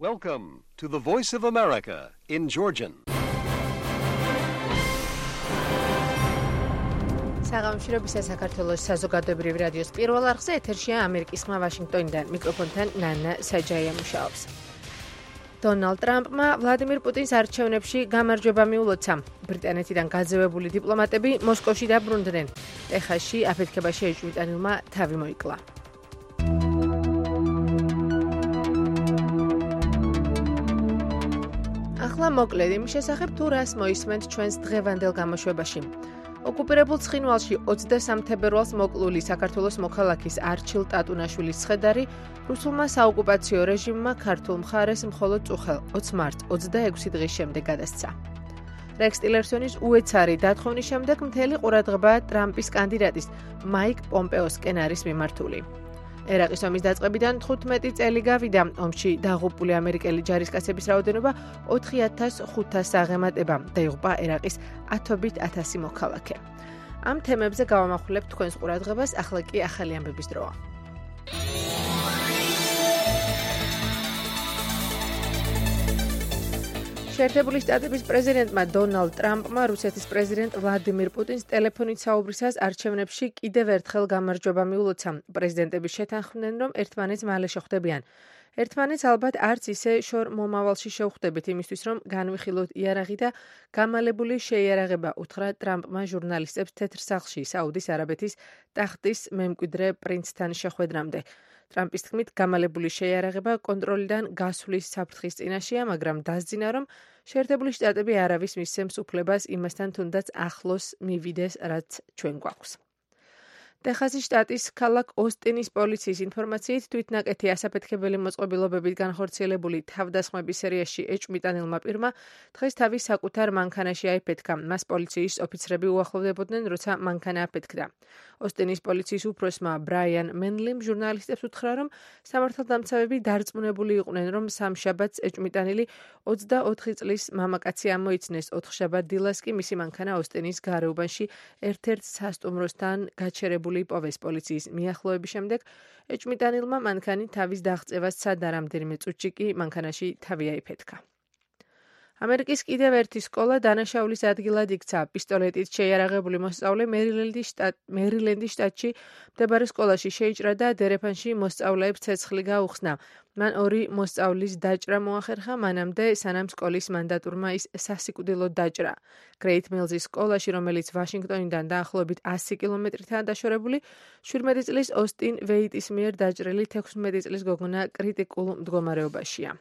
Welcome to the Voice of America in Georgian. საღამოშრობისა საქართველოს საზოგადოებრივი რადიოს პირველ არხზე ეთერშია ამერიკის ხმა ვაშინგტონიდან. მიკროფონთან ნანა საჯაია მუშაობს. დონალდ ტრამპმა ვლადიმირ პუტინს არჩევნებში გამარჯვება მიულოცა. ბრიტანეთიდან გაძევებული დიპლომატები მოსკოვში დაბრუნდნენ. ტეხასში აფეთქებაში ეჭვმიტანილმა თავი მოიკლა. ახლა მოკლედ იმის შესახებ თუ რას მოისმენთ ჩვენს დღევანდელ გამოშვებაში. ოკუპირებულ ცხინვალში 23 თებერვალს მოკლული საქართველოს მოქალაქის არჩილ ტატუნაშვილის ცხედარი რუსულმა საოკუპაციო რეჟიმმა ქართულ მხარეს მხოლოდ წუხელ 20 მარტს 26 დღის შემდეგ გადასცა. რექს ტილერსონის უეცარი დათხოვნის შემდეგ მთელი ყურადღება ტრამპის კანდიდატის მაიკ პომპეოსკენ არის მიმართული. ერაყის ომის დაწყებიდან 15 წელი გავიდა. ომში დაღუპული ამერიკელი ჯარისკაცების რაოდენობა 4500 აღემატება. დაიღუპა ერაყის ათობით 1000 მოქალაქე. ამ თემებზე გავამახვილებთ თქვენს ყურადღებას, ახლა კი ახალი ამბების დროა. შეერთებული შტატების პრეზიდენტმა დონალდ ტრამპმა რუსეთის პრეზიდენტ ვლადიმირ პუტინს ტელეფონით საუბრისას არჩევნებში კიდევ ერთხელ გამარჯვება მიულოცა. პრეზიდენტები შეთანხმდნენ, რომ ერთმანეთს მალე შეხვდებიან. ერთმანეთს ალბათ არც ისე შორ მომავალში შევხვდებით იმისთვის, რომ განვიხილოთ იარაღი და გამალებული შეიარაღება, უთხრა ტრამპმა ჟურნალისტებს თეთრ სახლში საუდის არაბეთის ტახტის მემკვიდრე პრინცთან შეხვედრამდე. ტრამპის თქმით, გამალებული შეიარაღება კონტროლიდან გასვლის საფრთხის წინაშეა, მაგრამ დასძინა, რომ შეერთებული შტატები არავის მისცემს უფლებას იმასთან თუნდაც ახლოს მივიდეს, რაც ჩვენ გვაქვს. ტეხასის შტატის ქალაქ ოსტინის პოლიციის ინფორმაციით თვითნაკეთი ასაფეთქებელი მოწყობილობებით განხორციელებული თავდასხმების სერიაში ეჭვმიტანილმა პირმა დღეს თავის საკუთარ მანქანაში აიფეთქა. მას პოლიციის ოფიცრები უახლოვდებოდნენ, როცა მანქანა აფეთქდა. ოსტინის პოლიციის უფროსმა ბრაიან მენლიმ ჟურნალისტებს უთხრა, რომ სამართალდამცავები დარწმუნებული იყვნენ, რომ სამშაბათს ეჭვმიტანილი 24 წლის მამაკაცი ამოიცნეს. 4 შაბათ დილას კი მისი მანქანა ოსტინის გარეუბანში ერთ-ერთ სასტუმროსთან გაჩერებული იპოვეს. პოლიციის მიახლოების შემდეგ ეჭვმიტანილმა მანქანი თავის დაღწევას სცადა, რამდენიმე წუთში კი მანქანაში თავი აიფეთქა. ამერიკის კიდევ ერთი სკოლა დანაშაულის ადგილად იქცა. პისტოლეტით შეიარაღებული მოსწავლე მერილენდის შტატში მდებარე სკოლაში შეიჭრა და დერეფანში მოსწავლეებს ცეცხლი გაუხსნა. მან 2 მოსწავლის დაჭრა მოახერხა, მანამდე სანამ სკოლის მანდატურმა ის სასიკვდილოდ დაჭრა. გრეით მილზის სკოლაში, რომელიც ვაშინგტონიდან დაახლოებით 100 კილომეტრითაა დაშორებული, 17 წლის ოსტინ ვეიტის მიერ დაჭრილი 16 წლის გოგონა კრიტიკულ მდგომარეობაშია.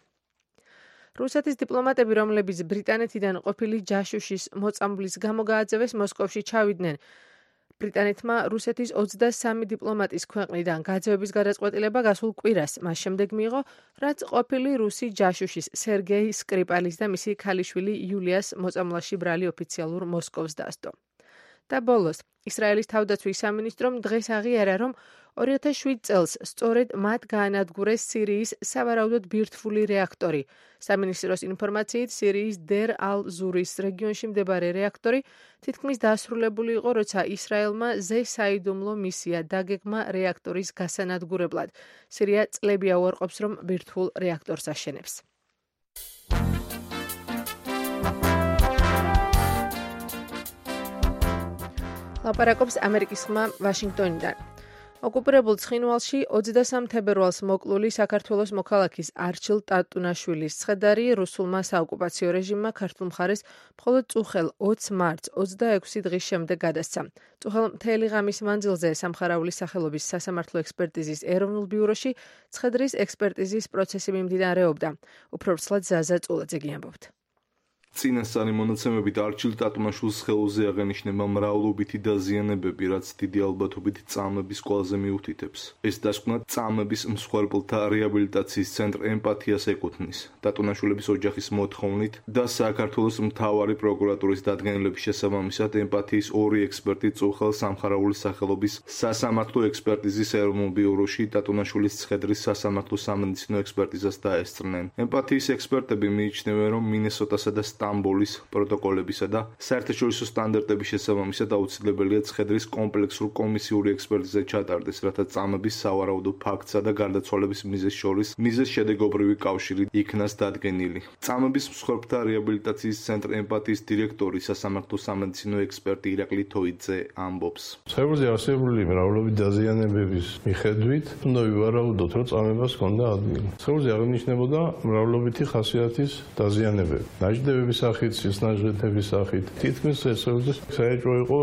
რუსეთის დიპლომატები, რომლებიც ბრიტანეთიდან ყოფილი ჯაშუშის მოწამვლის გამო გააძევეს, მოსკოვში ჩავიდნენ. ბრიტანეთმა რუსეთის 23 დიპლომატის ქვეყნიდან გაძევების გადაწყვეტილება გასულ კვირას მას შემდეგ მიიღო, რაც ყოფილი რუსი ჯაშუშის სერგეი სკრიპალის და მისი ქალიშვილი იულიას მოწამვლაში ბრალი ოფიციალურ მოსკოვს დასდო. და ბოლოს, ისრაელის თავდაცვის სამინისტრომ დღეს აღიარა, რომ 2007 წელს სწორედ მათ გაანადგურეს სირიის სავარაუდოდ ბირთვული რეაქტორი. სამინისტროს ინფორმაციით, სირიის დერ ალ-ზურის რეგიონში მდებარე რეაქტორი თითქმის დასრულებული იყო, როცა ისრაელმა ზესაიდუმლო მისია დაგეგმა რეაქტორის გასანადგურებლად. სირია წლები აუარყოფს, რომ ბირთვულ რეაქტორს აშენებს. ლაპარაკობს ამერიკის ხმა ვაშინგტონიდან. ოკუპირებულ ცხინვალში 23 თებერვალს მოკლული საქართველოს მოქალაქის არჩილ ტატუნაშვილის ცხედარი რუსულმა საოკუპაციო რეჟიმმა ქართულ მხარეს მხოლოდ წუხელ 20 მარტს 26 დღის შემდეგ გადასცა. წუხელ მთელი ღამის მანძილზე სამხარაულის სახელობის სასამართლო ექსპერტიზის ეროვნულ ბიუროში ცხედრის ექსპერტიზის პროცესი მიმდინარეობდა. უფრო ვრცლად ზაზა წულაძე გიამბობთ. წინასწარი მონაცემებით არჩილ ტატუნაშვილის ხელზე აღენიშნება მრავლობითი დაზიანებები, რაც დიდი ალბათობით წამების ყველაზე მიუთითებს. ეს დასკვნა წამების მსხვერპლთა რეაბილიტაციის ცენტრ ემპათიას ეკუთვნის. ტატუნაშვილების ოჯახის მოთხოვნით და საქართველოს მთავარი პროკურატურის დადგენილების შესაბამისად ემპათიის 2 ექსპერტი წუხელ სამხარაულის სახელობის სასამართლო ექსპერტიზის ეროვნულ ბიუროში ტატუნაშვილის ცხედრის სასამართლო სამედიცინო ექსპერტიზას დაესწრნენ. ემპათიის ექსპერტები მიიჩნევენ, რომ მინესოტასა და სტამბოლის პროტოკოლებისა და საერთაშორისო სტანდარტების შესაბამისად აუცილებელია ცხედრის კომპლექსური კომისიური ექსპერტიზა ჩატარდეს, რათა წამების სავარაუდო ფაქტსა და გარდაცვალების მიზეზს შორის მიზეზ-შედეგობრივი კავშირი იქნას დადგენილი. წამების მსხვერპლთა რეაბილიტაციის ცენტრ ემპათიის დირექტორი, სასამართლო სამედიცინო ექსპერტი ირაკლი თოიძე ამბობს. Ცებრზე არსებული მრავლობით დაზიანებების მიხედვით უნდა ვივარაუდოთ, რომ წამებას ჰქონდა ადგილი. ცებრზე აღინიშნებოდა მრავლობითი ხასიათის დაზიანებები. ნაჯდებების სახით, სისნაჟდების სახით. თითქმის ცებრზე საეჭვო იყო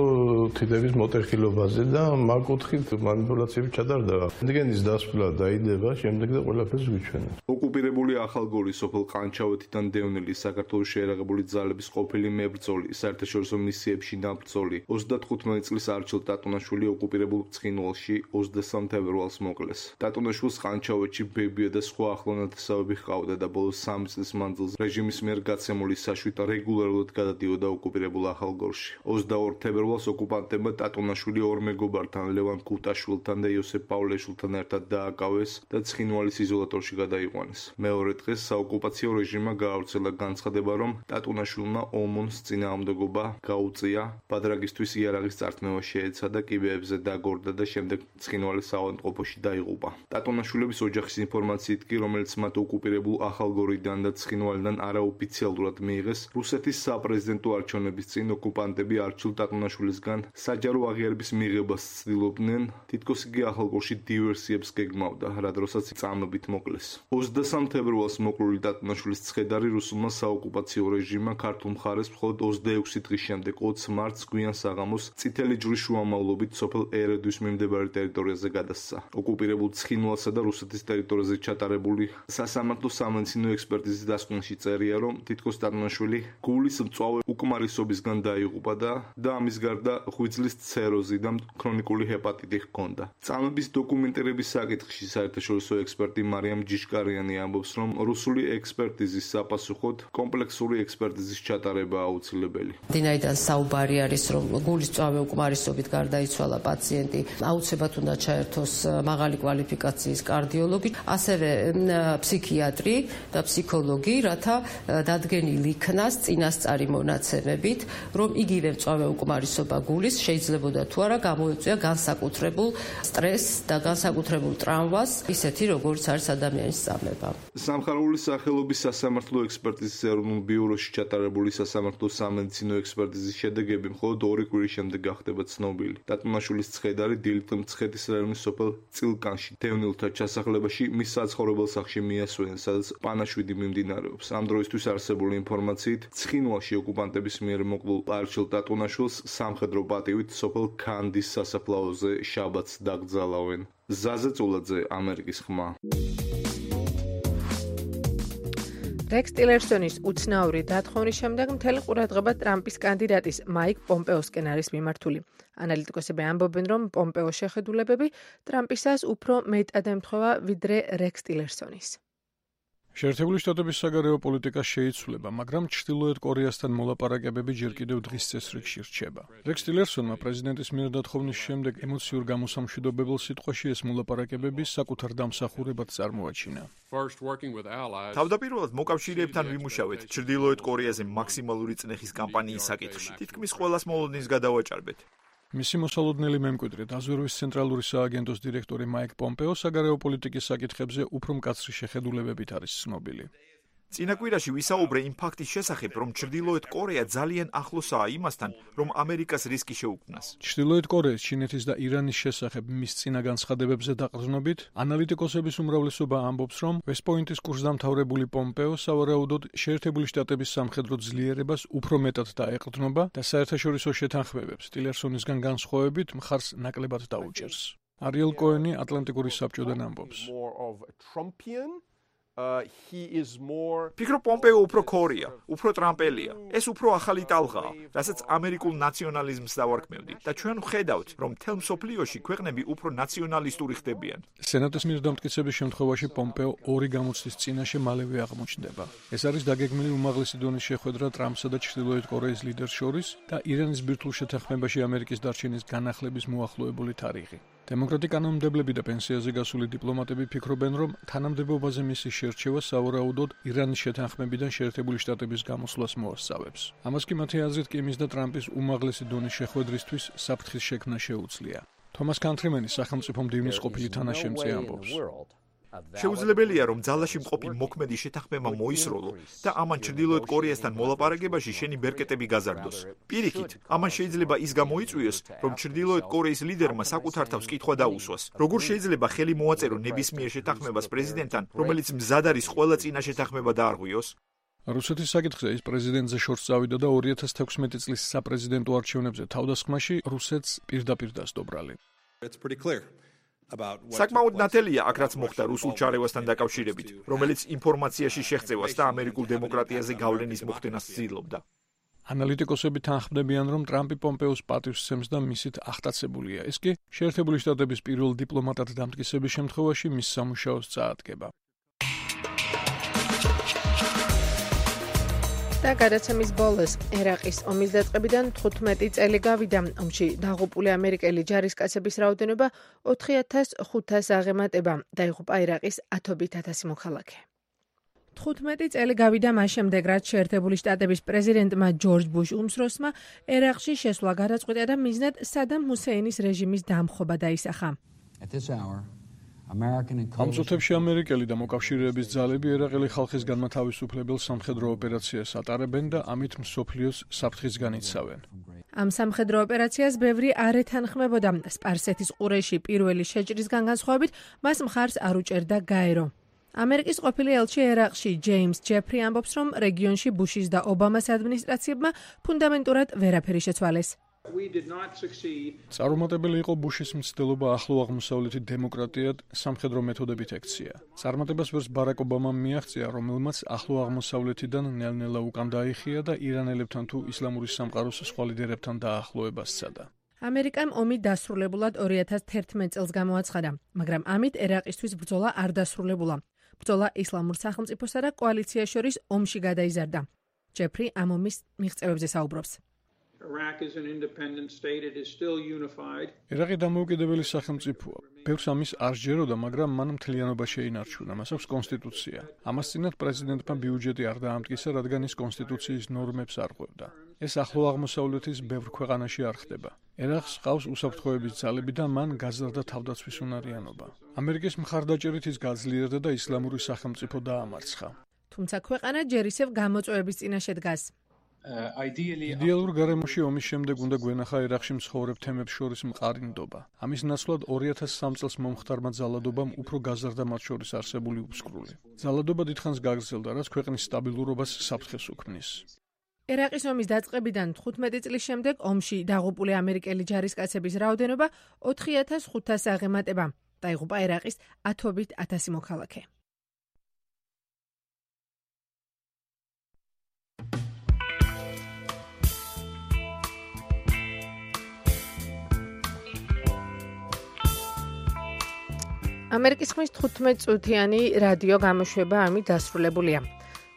თითების მოტეხილობაზე და მაგ კუთხით манипуляციები ჩატარდა. რენტგენის დასკვლა დაიდება, შემდეგ და ყველაფერს გვიჩვენებს. ოკუპირებული ახალგორის სოფელ ყანჩავეთიდან დევნილი საქართველოს შეერაღებული ძალების ყოფილი მებრძოლი, საერთაშორისო მისიებში ნაბრძოლი 35 წლის არჩილ ტატუნაშვილი ოკუპირებულ ცხინვალში 23 თებერვალს მოკლეს. ტატუნაშვილს ყანჩავეთში ბებია და სხვა ახლო ნათესავები ჰყავდა და ბოლოს 3 წლის მანძილზე რეჟიმის მიერ გაცემული საშუით რეგულარულად გადადიოდა ოკუპირებულ ახალგორში. 22 თებერვალს ოკუპანტებმა ტატუნაშვილი ორ მეგობართან ლევან კუტაშვილთან და იოსებ პავლეშვილთან ერთად დააკავეს და ცხინვალის იზოლატორში გადაიყვანეს. მეორე დღეს საოკუპაციო რეჟიმმა გაავრცელა განცხადება, რომ ტატუნაშვილმა ომონს წინააღმდეგობა გაუწია, ბადრაგისთვის იარაღის წართმევა შეეცადა, კიბეებზე დაგორდა და შემდეგ ცხინვალის საავადმყოფოში დაიღუპა. ტატუნაშვილების ოჯახის ინფორმაციით კი, რომელიც მათ ოკუპირებულ ახალგორიდან და ცხინვალიდან არაოფიციალურად მიიღეს, რუსეთის საპრეზიდენტო არჩევნების წინ ოკუპანტები არჩილ ტატუნაშვილისგან საჯარო აღიარების მიღებას ცდილობდნენ, თითქოს იგი ახალგორში დივერსიებს გეგმავდა, რა დროსაც წამებით მოკლეს. 23 თებერვალს მოკლული ტატუნაშვილის ცხედარი რუსულმა საოკუპაციო რეჟიმმა ქართულ მხარეს მხოლოდ 26 დღის შემდეგ 20 მარტს გვიან საღამოს წითელი ჯვრის შუამავლობით სოფელ ერედვის მიმდებარე ტერიტორიაზე გადასცა. ოკუპირებულ ცხინვალსა და რუსეთის ტერიტორიაზე ჩატარებული სასამართლო სამედიცინო ექსპერტიზის დასკვნაში წერია, რომ თითქოს ტატუნაშვილი გულის მწვავე უკმარისობისგან დაიღუპა და ამის გარდა ღვიძლის ცეროზი და ქრონიკული ჰეპატიტი ჰქონდა. წამების დოკუმენტირების საკითხში საერთაშორისო ექსპერტი მარიამ ჯიშკარიანი ამბობს, რომ რუსული ექსპერტიზის საფასუხოდ კომპლექსური ექსპერტიზის ჩატარება აუცილებელი. დინაიდან საუბარი არის, რომ გულის მწვავე უკმარისობით გარდაიცვალა პაციენტი, აუცილებლად უნდა ჩაერთოს მაღალი კვალიფიკაციის კარდიოლოგი, ასევე ფსიქიატრი და ფსიქოლოგი, რათა დადგენილი იქნას წინასწარი მონაცემებით, რომ იგივე მწვავე უკმარისობა გულის შეიძლებოდა თუ არა გამოიწვია განსაკუთრებულ სტრესს და განსაკუთრებულ ტრამვას, ისეთი როგორც არის ადამიანის წამება. სამხარეული სახელობის სასამართლო ექსპერტიზის ეროვნულ ბიუროში ჩატარებული სასამართლო სამედიცინო ექსპერტიზის შედეგები მხოლოდ 2 კვირის შემდეგ გახდება ცნობილი. ტატუნაშვილის ცხედარი დილით მცხეთის რაიონის სოფელ წილკანში დევნილთა ჩასახლებაში მის საცხოვრებელ სახლში მიასვენეს, სადაც პანაშვიდი მიმდინარეობს. ამ დროისთვის არსებული ინფორმაციით, ცხინვალში ოკუპანტების მიერ მოკლულ არჩილ ტატუნაშვილს სამხედრო პატივით სოფელ ქანდის სასაფლაოზე შაბათს დაკრძალავენ. ზაზა წულაძე, ამერიკის ხმა. რექს ტილერსონის უცნაური დათხოვნის შემდეგ მთელი ყურადღება ტრამპის კანდიდატის მაიკ პომპეოსკენ არის მიმართული. ანალიტიკოსები ამბობენ, რომ პომპეოს შეხედულებები ტრამპისას უფრო მეტად ემთხვევა ვიდრე რექს ტილერსონის. შეერთებული შტატების საგარეო პოლიტიკა შეიცვლება, მაგრამ ჩრდილოეთ კორეასთან მოლაპარაკებები ჯერ კიდევ დღის წესრიგში რჩება. რექს ტილერსონმა პრეზიდენტის მიერ დათხოვნის შემდეგ ემოციურ გამოსამშვიდობებელ სიტყვაში ეს მოლაპარაკებები საკუთარ დამსახურებად წარმოაჩინა. თავდაპირველად მოკავშირეებთან ვიმუშავეთ ჩრდილოეთ კორეაზე მაქსიმალური წნეხის კამპანიის საკითხში. თითქმის ყველას მოლოდინს გადავაჭარბეთ. მისი მოსალოდნელი მემკვიდრე, დაზვერვის ცენტრალური სააგენტოს დირექტორი მაიკ პომპეო საგარეო პოლიტიკის საკითხებზე უფრო მკაცრი შეხედულებებით არის ცნობილი. წინა კვირაში ვისაუბრე იმ ფაქტის შესახებ, რომ ჩრდილოეთ კორეა ძალიან ახლოსაა იმასთან, რომ ამერიკას რისკი შეუქმნას. ჩრდილოეთ კორეის, ჩინეთის და ირანის შესახებ მის წინა განცხადებებზე დაყრდნობით, ანალიტიკოსების უმრავლესობა ამბობს, რომ ვესტ-პოინტის კურსდამთავრებული პომპეო სავარაუდოდ შეერთებული შტატების სამხედრო ძლიერებას უფრო მეტად დაეყრდნობა და საერთაშორისო შეთანხმებებს ტილერსონისგან განსხვავებით მხარს ნაკლებად დაუჭერს. არიელ კოენი ატლანტიკური საბჭოდან ამბობს. ფიქრობ პომპეო უფრო ქორია, უფრო ტრამპელია. ეს უფრო ახალი ტალღაა, რასაც ამერიკულ ნაციონალიზმს დავარქმევდი და ჩვენ ვხედავთ, რომ მთელ მსოფლიოში ქვეყნები უფრო ნაციონალისტური ხდებიან. სენატის მიერ დამტკიცების შემთხვევაში პომპეო ორი გამოცდის წინაშე მალევე აღმოჩნდება. ეს არის დაგეგმილი უმაღლესი დონის შეხვედრა ტრამპსა და ჩრდილოეთ კორეის ლიდერს შორის და ირანის ბირთვულ შეთანხმებაში ამერიკის დარჩენის განახლების მოახლოებული თარიღი. დემოკრატი კანონმდებლები და პენსიაზე გასული დიპლომატები ფიქრობენ, რომ თანამდებობაზე მისი შერჩევა სავარაუდოდ ირანის შეთანხმებიდან შეერთებული შტატების გამოსვლას მოასწავებს. ამას კი მათი აზრით კიმის და ტრამპის უმაღლესი დონის შეხვედრისთვის საფრთხის შექმნა შეუძლია. თომას კანტრიმენი სახელმწიფო მდივნის ყოფილი თანაშემწე ამბობს. შეუძლებელია, რომ ძალაში მყოფი მოქმედი შეთანხმება მოისროლო და ამან ჩრდილოეთ კორეასთან მოლაპარაკებაში შენი ბერკეტები გაზარდოს. პირიქით, ამან შეიძლება ის გამოიწვიოს, რომ ჩრდილოეთ კორეის ლიდერმა საკუთარ თავს კითხვა დაუსვას. როგორ შეიძლება ხელი მოაწერო ნებისმიერ შეთანხმებას პრეზიდენტთან, რომელიც მზად არის ყველა წინა შეთანხმება დაარღვიოს? რუსეთის საკითხზე ის პრეზიდენტზე შორს წავიდა და 2016 წლის საპრეზიდენტო არჩევნებზე თავდასხმაში რუსეთს პირდაპირ დასდობრალი. საკმაოდ ნათელია აქ რაც მოხდა რუსულ ჩარევასთან დაკავშირებით, რომელიც ინფორმაციაში შეღწევას და ამერიკულ დემოკრატიაზე გავლენის მოხდენას ცდილობდა. ანალიტიკოსები თანხმდებიან, რომ ტრამპი პომპეოს პატივს სცემს და მისით ახტაცებულია. ეს კი შეერთებული შტატების პირველ დიპლომატად დამტკიცების შემთხვევაში მის სამუშაოს წაადგება. და გადაცემის ბოლოს ერაყის ომის დაწყებიდან 15 წელი გავიდა. ომში დაღუპული ამერიკელი ჯარისკაცების რაოდენობა 4500 აღემატება. დაიღუპა ერაყის 10,000 მოქალაქე. 15 წელი გავიდა მას შემდეგ, რაც შეერთებული შტატების პრეზიდენტმა ჯორჯ ბუშ უმცროსმა ერაყში შესვლა გადაწყვიტა და მიზნად სადამ ჰუსეინის რეჟიმის დამხობა დაისახა. ამ წუთებში ამერიკელი და მოკავშირეების ძალები ერაყელი ხალხის განმათავისუფლებელ სამხედრო ოპერაციას ატარებენ და ამით მსოფლიოს საფრთხისგან იცავენ. ამ სამხედრო ოპერაციას ბევრი არ ეთანხმებოდა. სპარსეთის ყურეში პირველი შეჭრისგან განსხვავებით მას მხარს არ უჭერდა გაერო. ამერიკის ყოფილი ელჩი ერაყში ჯეიმს ჯეფრი ამბობს, რომ რეგიონში ბუშის და ობამას ადმინისტრაციებმა ფუნდამენტურად ვერაფერი შეცვალეს. წარუმატებელი იყო ბუშის მცდელობა ახლო აღმოსავლეთის დემოკრატიად სამხედრო მეთოდებით ექცია. წარმატებას ვერს ბარაკ ობამამ მიაღწია, რომელმაც ახლო აღმოსავლეთიდან ნელ-ნელა უკან დაიხია და ირანელებთან თუ ისლამური სამყაროს სხვა ლიდერებთან დაახლოებას სცადა. ამერიკამ ომი დასრულებულად 2011 წელს გამოაცხადა, მაგრამ ამით ერაყისთვის ბრძოლა არ დასრულებულა. ბრძოლა ისლამურ სახელმწიფოსა და კოალიციას შორის ომში გადაიზარდა. ჯეფრი ამ ომის მიღწევებზე საუბრობს. ერაყი დამოუკიდებელი სახელმწიფოა. ბევრს ამის არ სჯეროდა, მაგრამ მან მთლიანობა შეინარჩუნა. მას აქვს კონსტიტუცია. ამას წინათ პრეზიდენტმა ბიუჯეტი არ დაამტკიცა, რადგან ის კონსტიტუციის ნორმებს არ ყვებდა. ეს ახლო აღმოსავლეთის ბევრ ქვეყანაში არ ხდება. ერაყს ყავს უსაფრთხოების ძალები და მან გაზარდა თავდაცვის უნარიანობა. ამერიკის მხარდაჭერით ის გაძლიერდა და ისლამური სახელმწიფო დაამარცხა. თუმცა ქვეყანა ჯერ ისევ გამოწვევების წინაშე დგას. იდეალურ გარემოში ომის შემდეგ უნდა გვენახა ერაყში მცხოვრებ თემებს შორის მყარი ნდობა. ამის ნაცვლად 2003 წელს მომხდარმა ძალადობამ უფრო გაზარდა მათ შორის არსებული უსკრული. ძალადობა დიდხანს გაგრძელდა, რაც ქვეყნის სტაბილურობას საფრთხეს უქმნის. ერაყის ომის დაწყებიდან 15 წლის შემდეგ ომში დაღუპული ამერიკელი ჯარისკაცების რაოდენობა 4500 აღემატება. დაიღუპა ერაყის 10,000 მოქალაქე. ამერიკის ხმის 15 წუთიანი რადიო გამოშვება ამით დასრულებულია.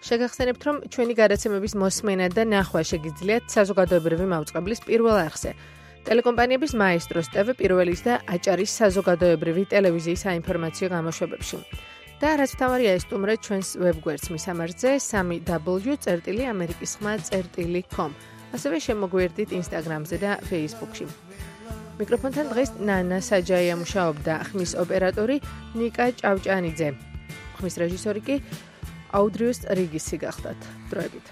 შეგახსენებთ, რომ ჩვენი გადაცემების მოსმენა და ნახვა შეგიძლიათ საზოგადოებრივი მაუწყებლის პირველ არხზე. ტელეკომპანიების მაესტროს TV პირველის და აჭარის საზოგადოებრივი ტელევიზიის საინფორმაციო გამოშვებებში. და რაც მთავარია, ესტუმრეთ ჩვენს ვებგვერდს მისამართზე www.amerikisxma.com. ასევე შემოგვიერთდით Instagram-ზე და Facebook-ში. მიკროფონთან დღეს ნანა საჯაია მუშაობდა, ხმის ოპერატორი ნიკა ჭავჭანიძე. ხმის რეჟისორი კი აუდრიუს რიგისი გახდათ. დროებით.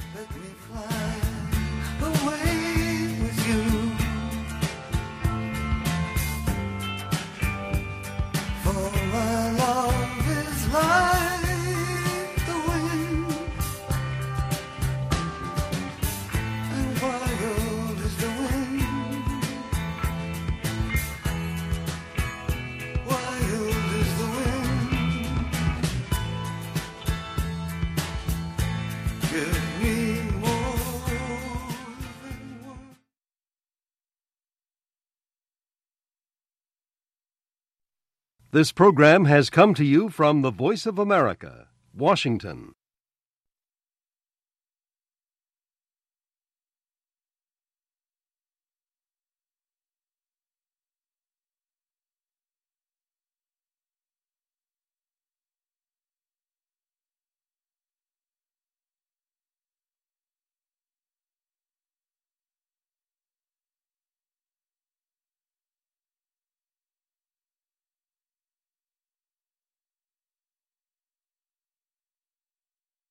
This program has come to you from the Voice of America, Washington.